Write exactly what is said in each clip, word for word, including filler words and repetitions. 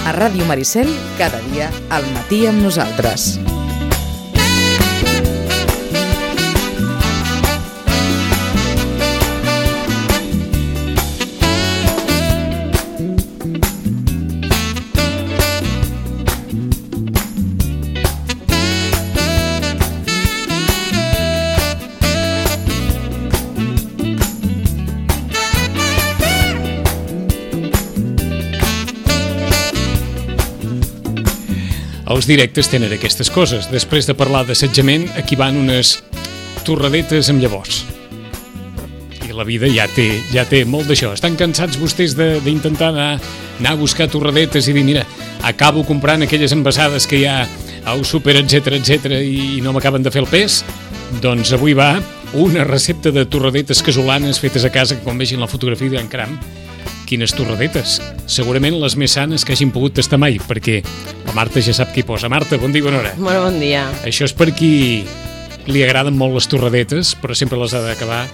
A Ràdio Maricel, cada dia al matí amb nosaltres. Els directes tenen aquestes coses. Després de parlar d'assetjament, aquí van unes torradetes amb llavors. I la vida ja té, ja té molt d'això. Estan cansats vostès d'intentar anar, anar a buscar torradetes i dir, mira, acabo comprant aquelles envasades que hi ha al súper, etcètera, etcètera, i no m'acaben de fer el pes? Doncs avui va una recepta de torradetes casolanes fetes a casa, que quan vegin la fotografia diran, caram, quines torradetes. Segurament les més sanes que hagin pogut tastar mai, perquè la Marta ja sap què hi posa. Marta, bon dia, bona hora. Molt bon dia. Això és per qui li agraden molt les torradetes, però sempre les ha d'acabar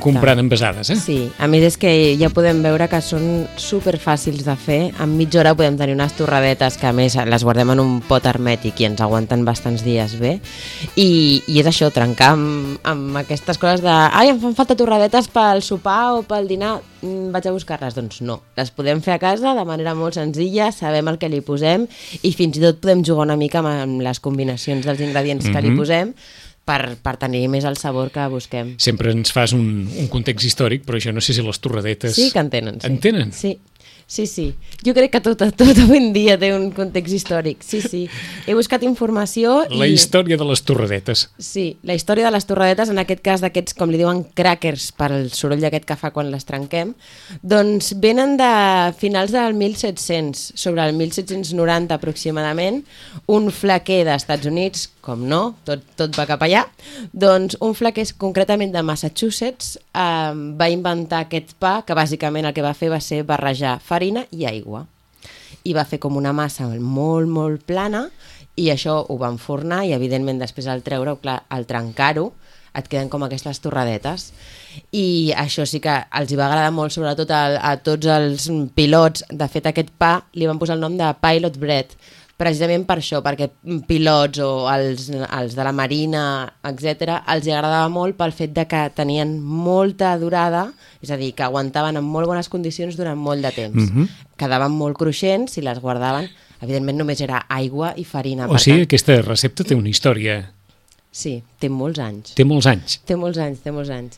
comprant envasades, eh? Sí, a més és que ja podem veure que són superfàcils de fer. En mitja hora podem tenir unes torradetes que a més les guardem en un pot hermètic i ens aguanten bastants dies bé. I, i és això, trencar amb, amb aquestes coses de ai, em fan falta torradetes pel sopar o pel dinar, vaig a buscar-les. Doncs no, les podem fer a casa de manera molt senzilla, sabem el que li posem i fins i tot podem jugar una mica amb les combinacions dels ingredients mm-hmm. que li posem per, per tenir més el sabor que busquem. Sempre ens fas un, un context històric, però jo no sé si les torradetes... Sí que en tenen. Sí. En tenen? Sí. Sí, sí. Jo crec que tot, tot avui en dia té un context històric. Sí, sí. He buscat informació i... La història de les torradetes. Sí, la història de les torradetes, en aquest cas d'aquests, com li diuen, crackers, per el soroll aquest que fa quan les trenquem, doncs venen de finals del mil set-cents, sobre el mil set-cents noranta aproximadament, un flaquer d'Estats Units, com no, tot, tot va cap allà, doncs un flaquer concretament de Massachusetts eh, va inventar aquest pa que bàsicament el que va fer va ser barrejar farina i aigua. I va fer com una massa molt, molt plana i això ho va enfornar i evidentment després al treure-ho, clar, al trencar-ho, et queden com aquestes torradetes. I això sí que els hi va agradar molt, sobretot a, a tots els pilots. De fet, aquest pa li van posar el nom de Pilot Bread, precisament per això, perquè pilots o els, els de la marina, etcètera, els agradava molt pel fet de que tenien molta durada, és a dir, que aguantaven en molt bones condicions durant molt de temps. Mm-hmm. Quedaven molt cruixents i les guardaven. Evidentment només era aigua i farina. O sigui, tant... aquesta recepta té una història... Sí, té molts anys. Té molts anys. Té molts anys, té molts anys.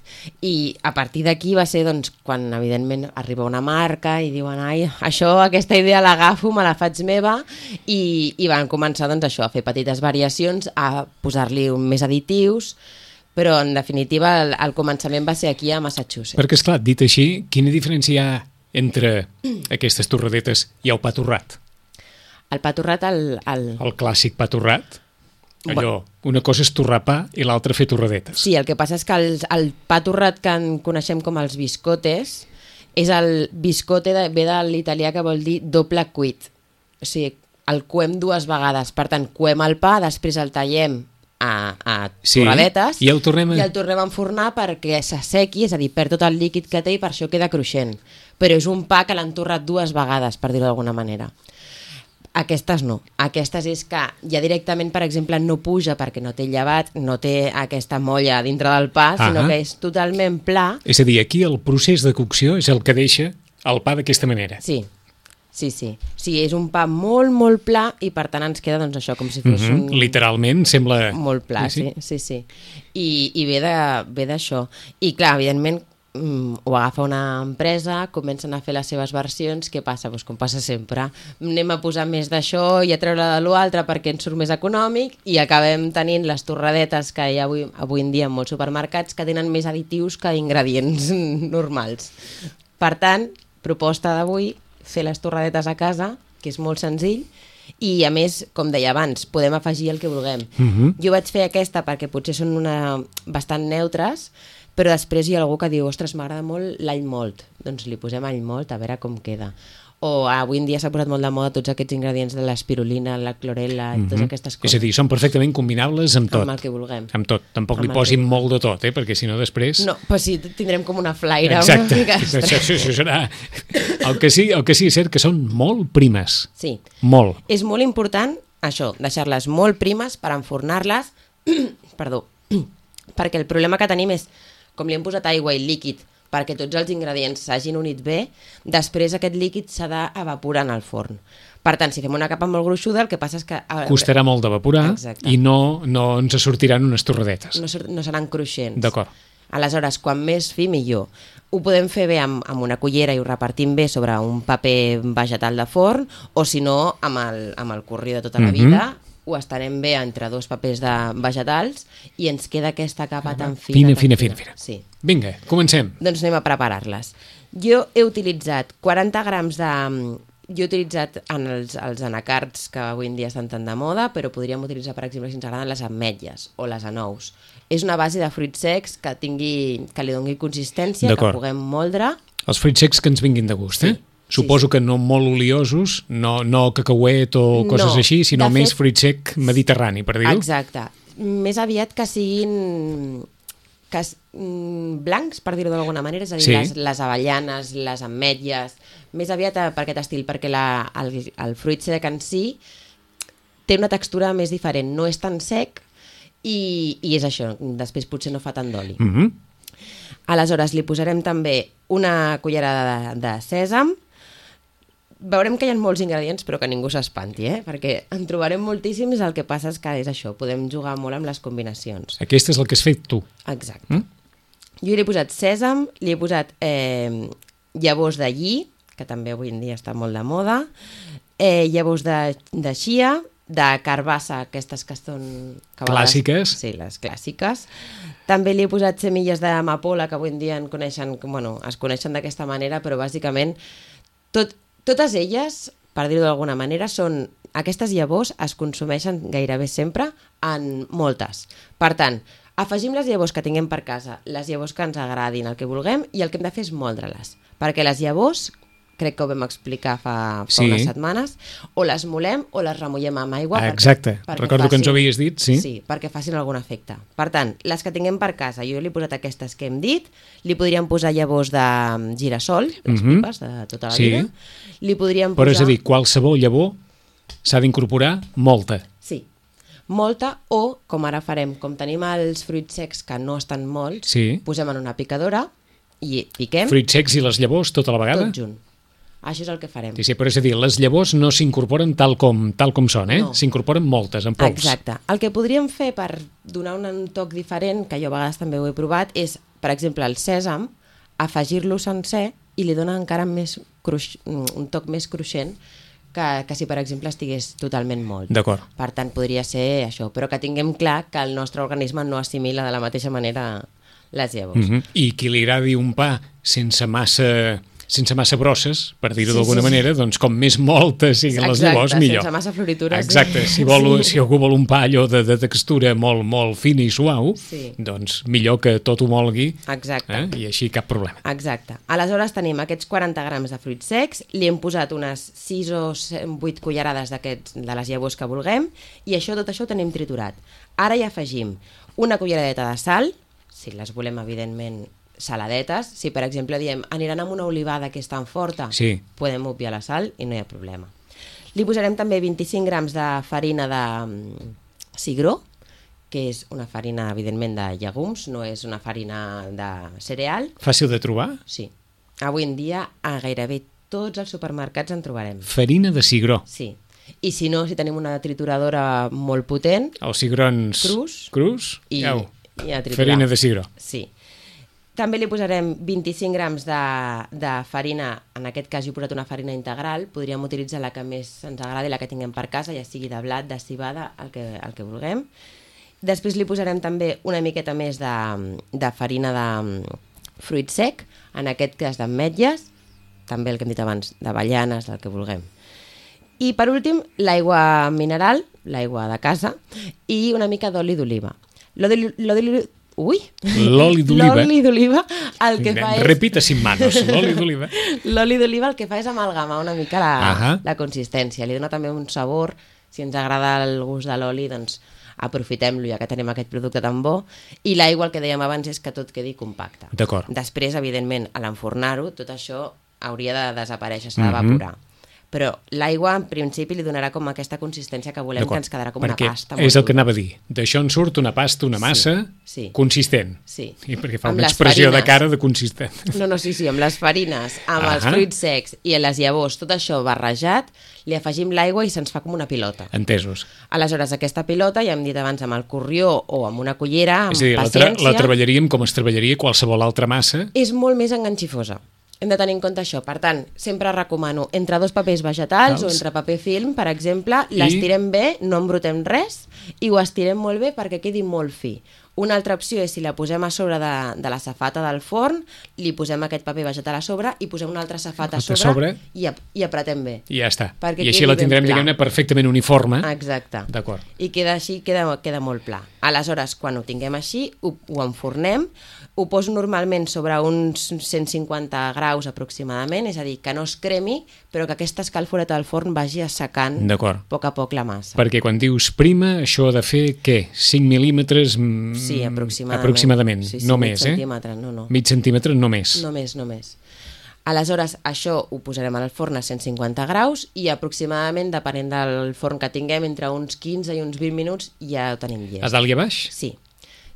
I a partir d'aquí va ser doncs, quan evidentment arriba una marca i diuen ai, això, aquesta idea l'agafo, me la faig meva i, i van començar doncs, això, a fer petites variacions, a posar-li més additius, però en definitiva el, el començament va ser aquí a Massachusetts. Perquè esclar, dit així, quina diferència hi ha entre aquestes torradetes i el pa torrat? El pa torrat, el... El, el clàssic pa torrat? Allò, una cosa és torrar pa i l'altra fer torradetes. Sí, el que passa és que el, el pa torrat que en coneixem com els biscotes és el biscote, de, ve de l'italià que vol dir doble cuit. O sigui, el coem dues vegades. Per tant, coem el pa, després el tallem a, a sí, torradetes i el tornem a... i el tornem a enfornar perquè s'assequi, és a dir, perd tot el líquid que té i per això queda cruixent. Però és un pa que l'han torrat dues vegades, per dir-ho d'alguna manera. Aquestes no. Aquestes és que ja directament, per exemple, no puja perquè no té llevat, no té aquesta molla dintre del pa, sinó que és totalment pla. És a dir, aquí el procés de cocció és el que deixa el pa d'aquesta manera. Sí, sí, sí. Sí, és un pa molt, molt pla i per tant ens queda doncs això, com si fos mm-hmm. un... Literalment sembla... Molt pla, sí, sí, sí. sí. I, i ve d'això. I clar, evidentment, ho agafa una empresa, comencen a fer les seves versions, què passa? Doncs com passa sempre, anem a posar més d'això i a treure de l'altre perquè ens surt més econòmic i acabem tenint les torradetes que hi ha avui, avui en dia en molts supermercats que tenen més additius que ingredients normals. Per tant, proposta d'avui, fer les torradetes a casa, que és molt senzill, i a més, com deia abans, podem afegir el que vulguem. Mm-hmm. Jo vaig fer aquesta perquè potser són una... bastant neutres, però després hi ha algú que diu, ostres, m'agrada molt l'all molt, doncs li posem all molt a veure com queda. O avui en dia s'ha posat molt de moda tots aquests ingredients de l'espirulina, la clorela, mm-hmm. totes aquestes coses. És a dir, són perfectament combinables amb tot. Amb el que vulguem. Amb tot. Tampoc amb li posin molt de tot, eh? Perquè si no després... No, però sí, tindrem com una flaire. Exacte. Una mica això, això serà El que sí, el que sí és cert que són molt primes. Sí. Molt. És molt important, això, deixar-les molt primes per enfornar-les, perdó, perquè el problema que tenim és, com li hem posat aigua i líquid, perquè tots els ingredients s'hagin unit bé, després aquest líquid s'ha d'evaporar en el forn. Per tant, si fem una capa molt gruixuda, el que passa és que... Costarà molt d'evaporar i no, no ens sortiran unes torradetes. No, no seran cruixents. D'acord. Aleshores, quan més fi, millor. Ho podem fer bé amb, amb una cullera i ho repartim bé sobre un paper vegetal de forn, o si no, amb el, amb el curri de tota la vida, mm-hmm. ho estarem bé entre dos papers de vegetals i ens queda aquesta capa tan fina. Fina, fina, fina, fina. Sí. Vinga, comencem. Doncs anem a preparar-les. Jo he utilitzat quaranta grams de... Jo he utilitzat en els, els anacards que avui en dia estan tan de moda, però podríem utilitzar, per exemple, si ens agraden les ametlles o les anous. És una base de fruits secs que tingui, que li doni consistència, que puguem moldre. Els fruits secs que ens vinguin de gust, eh? Sí, Suposo sí, sí. que no molt oliosos, no, no cacauet o coses no, així, sinó més fet, fruit sec mediterrani, per dir-ho. Exacte. Més aviat que siguin que, mm, blancs, per dir-ho d'alguna manera, és a dir, sí. les, les avellanes, les ametlles, més aviat per aquest estil, perquè la, el, el fruit sec en si té una textura més diferent, no és tan sec i, i és això, després potser no fa tant d'oli. Mm-hmm. Aleshores li posarem també una cullerada de, de sèsam. Veurem que hi ha molts ingredients, però que ningú s'espanti, eh? Perquè en trobarem moltíssims, el que passa és que és això, podem jugar molt amb les combinacions. Aquest és el que has fet tu. Exacte. Mm? Jo li he posat sèsam, li he posat eh, llavors de lli, que també avui en dia està molt de moda, eh, llavors de, de xia, de carbassa, aquestes que són... Que clàssiques. Vegades, sí, les clàssiques. També li he posat semilles d'amapola, que avui en dia en coneixen, bueno, es coneixen d'aquesta manera, però bàsicament tot... Totes elles, per dir-ho d'alguna manera, són... Aquestes llavors es consumeixen gairebé sempre en moltes. Per tant, afegim les llavors que tinguem per casa, les llavors que ens agradin, el que vulguem, i el que hem de fer és moldre-les. Perquè les llavors, crec que ho vam explicar fa, fa sí. unes setmanes, o les molem o les remullem amb aigua. Ah, exacte, perquè, perquè recordo facin, que ens ho havies dit. Sí. Sí, perquè facin algun efecte. Per tant, les que tinguem per casa, jo li he posat aquestes que hem dit, li podríem posar llavors de girassol, les mm-hmm. pipes de tota la sí. vida. Li podríem posar... Però és a dir, qualsevol llavor s'ha d'incorporar molta. Sí, molta, o, com ara farem, com tenim els fruits secs que no estan molts, sí. posem en una picadora i piquem... Fruits secs i les llavors tota la vegada? Tot junt. Això és el que farem. Sí, sí, però és a dir, les llavors no s'incorporen tal com, tal com són, eh? No. S'incorporen moltes, en pols. Exacte. El que podríem fer per donar un toc diferent, que jo a vegades també ho he provat, és, per exemple, el sèsam, afegir-lo sencer i li dona encara més cruix, un toc més cruixent que, que si, per exemple, estigués totalment molt. D'acord. Per tant, podria ser això, però que tinguem clar que el nostre organisme no assimila de la mateixa manera les llavors. Mm-hmm. I qui li agradi un pa sense massa... sense massa brosses, per dir-ho sí, d'alguna sí, manera, doncs com més moltes siguin les llavors, millor. Sense massa floritures. Exacte, si, vol, sí. si algú vol un pa allò de, de textura molt, molt fina i suau, sí. doncs millor que tot ho molgui. Exacte. Eh? I així cap problema. Exacte. Aleshores tenim aquests quaranta grams de fruits secs, li hem posat unes sis o vuit cullerades de les llavors que vulguem, i això, tot això ho tenim triturat. Ara hi afegim una culleradeta de sal, si les volem, evidentment, saladetes. Si, per exemple, diem aniran amb una olivada que és tan forta, sí. podem obviar la sal i no hi ha problema. Li posarem també vint-i-cinc grams de farina de cigró, que és una farina, evidentment, de llegums, no és una farina de cereal. Fàcil de trobar? Sí. Avui en dia, a gairebé tots els supermercats en trobarem. Farina de cigró? Sí. I si no, si tenim una trituradora molt potent... Els cigrons crus. Crus? I, Au. i a triturar. Farina de cigró. Sí. També li posarem vint-i-cinc grams de, de farina, en aquest cas jo he posat una farina integral, podríem utilitzar la que més ens agradi, la que tinguem per casa, ja sigui de blat, de civada, el que, el que vulguem. Després li posarem també una miqueta més de, de farina de fruit sec, en aquest cas d'ametlles, també el que hem dit abans, d'avellanes, del que vulguem. I per últim, l'aigua mineral, l'aigua de casa, i una mica d'oli d'oliva. L'oli Ui! L'oli d'oliva. L'oli d'oliva el que fa és... Repita sin manos, l'oli d'oliva. L'oli d'oliva el que fa és amalgamar una mica la, uh-huh. la consistència. Li dona també un sabor. Si ens agrada el gust de l'oli, doncs aprofitem-lo, ja que tenim aquest producte tan bo. I l'aigua, el que dèiem abans, és que tot quedi compacte. D'acord. Després, evidentment, a l'enfornar-ho, tot això hauria de desaparèixer, s'ha d'evaporar. Mm-hmm. Però l'aigua, en principi, li donarà com aquesta consistència que volem, que ens quedarà com perquè una pasta. És el que anava a dir. D'això en surt una pasta, una massa sí, sí. consistent. Sí. I perquè fa amb una expressió farines. de cara de consistent. No, no, sí, sí, amb les farines, amb uh-huh. els fruits secs i les llavors, tot això barrejat, li afegim l'aigua i se'ns fa com una pilota. Entesos. Aleshores, aquesta pilota, ja hem dit abans, amb el corrió o amb una cullera, amb és a dir, paciència... La, tra la treballaríem com es treballaria qualsevol altra massa. És molt més enganxifosa. Hem de tenir en compte això. Per tant, sempre recomano entre dos papers vegetals Tals. o entre paper film, per exemple, l'estirem I... bé, no embrutem res i ho estirem molt bé perquè quedi molt fi. Una altra opció és si la posem a sobre de, de la safata del forn, li posem aquest paper vegetal a sobre i posem una altra safata a sobre, sobre i, i apretem bé. I ja està. I així la tindrem, diguem-ne, perfectament uniforme. Exacte. D'acord. I queda així, queda, queda molt pla. Aleshores, quan ho tinguem així, ho, ho enfornem, ho poso normalment sobre uns cent cinquanta graus aproximadament, és a dir, que no es cremi, però que aquesta escalforeta del forn vagi assecant a poc a poc la massa. Perquè quan dius prima, això ha de fer, què? cinc mil·límetres... Sí, aproximadament. Aproximadament, sí, sí, no més, eh? No, no. Mig centímetre, no més. No més, no més. Aleshores, això ho posarem al forn a cent cinquanta graus i aproximadament, depenent del forn que tinguem, entre uns quinze i uns vint minuts ja ho tenim llest. A dalt i a baix? Sí.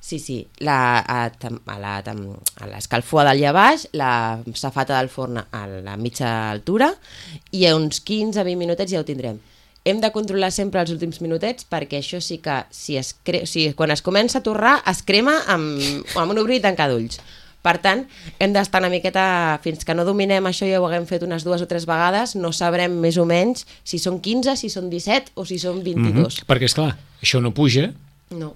Sí, sí, la, a, a, la, a l'escalfor a dalt i a baix, la safata del forn a la mitja altura i a uns quinze a vint minutets ja ho tindrem. Hem de controlar sempre els últims minutets perquè això sí que si es cre... o sigui, quan es comença a torrar es crema amb, amb un obrir i tancar d'ulls. Per tant, hem d'estar una miqueta, fins que no dominem això, ja ho haguem fet unes dues o tres vegades, no sabrem més o menys si són quinze, si són disset o si són vint-i-dos. Mm-hmm. Perquè, esclar, això no puja. No.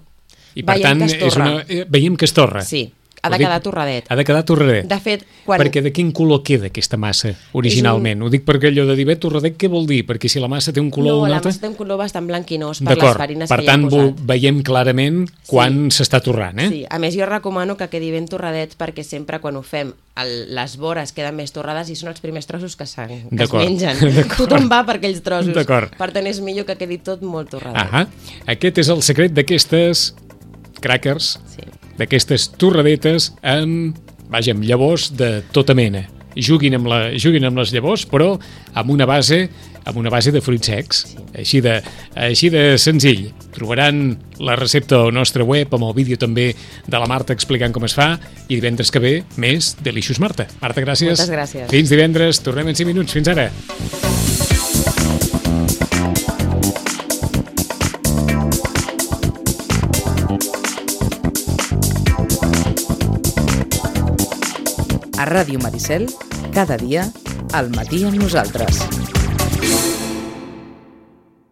I per veiem tant, és una... veiem que es torra. Sí, ha de quedar torradet. Ha de quedar torradet. De fet, quan... Perquè de quin color queda aquesta massa originalment? Un... Ho dic perquè allò de dir, bé, torradet, què vol dir? Perquè si la massa té un color... No, un la altre... massa té un color bastant blanquinós per les farines per que tant, hi hem posat. veiem clarament quan s'està sí. torrant, eh? Sí, a més jo recomano que quedi ben torradet perquè sempre quan ho fem el, les vores queden més torrades i són els primers trossos que, que es mengen. Tothom va per aquells trossos. Per tant, és millor que quedi tot molt torradet. Ahà. Aquest és el secret d'aquestes crackers, sí. d'aquestes torradetes amb, vaja, amb llavors de tota mena. Juguin amb, la, juguin amb les llavors, però amb una base amb una base de fruits secs, sí. així, de, així de senzill. Trobaran la recepta al nostre web, amb el vídeo també de la Marta explicant com es fa, i divendres que ve, més Delicious Marta. Marta, gràcies. Moltes gràcies. Fins divendres, tornem en cinc minuts. Fins ara. A Ràdio Maricel, cada dia, al matí amb nosaltres.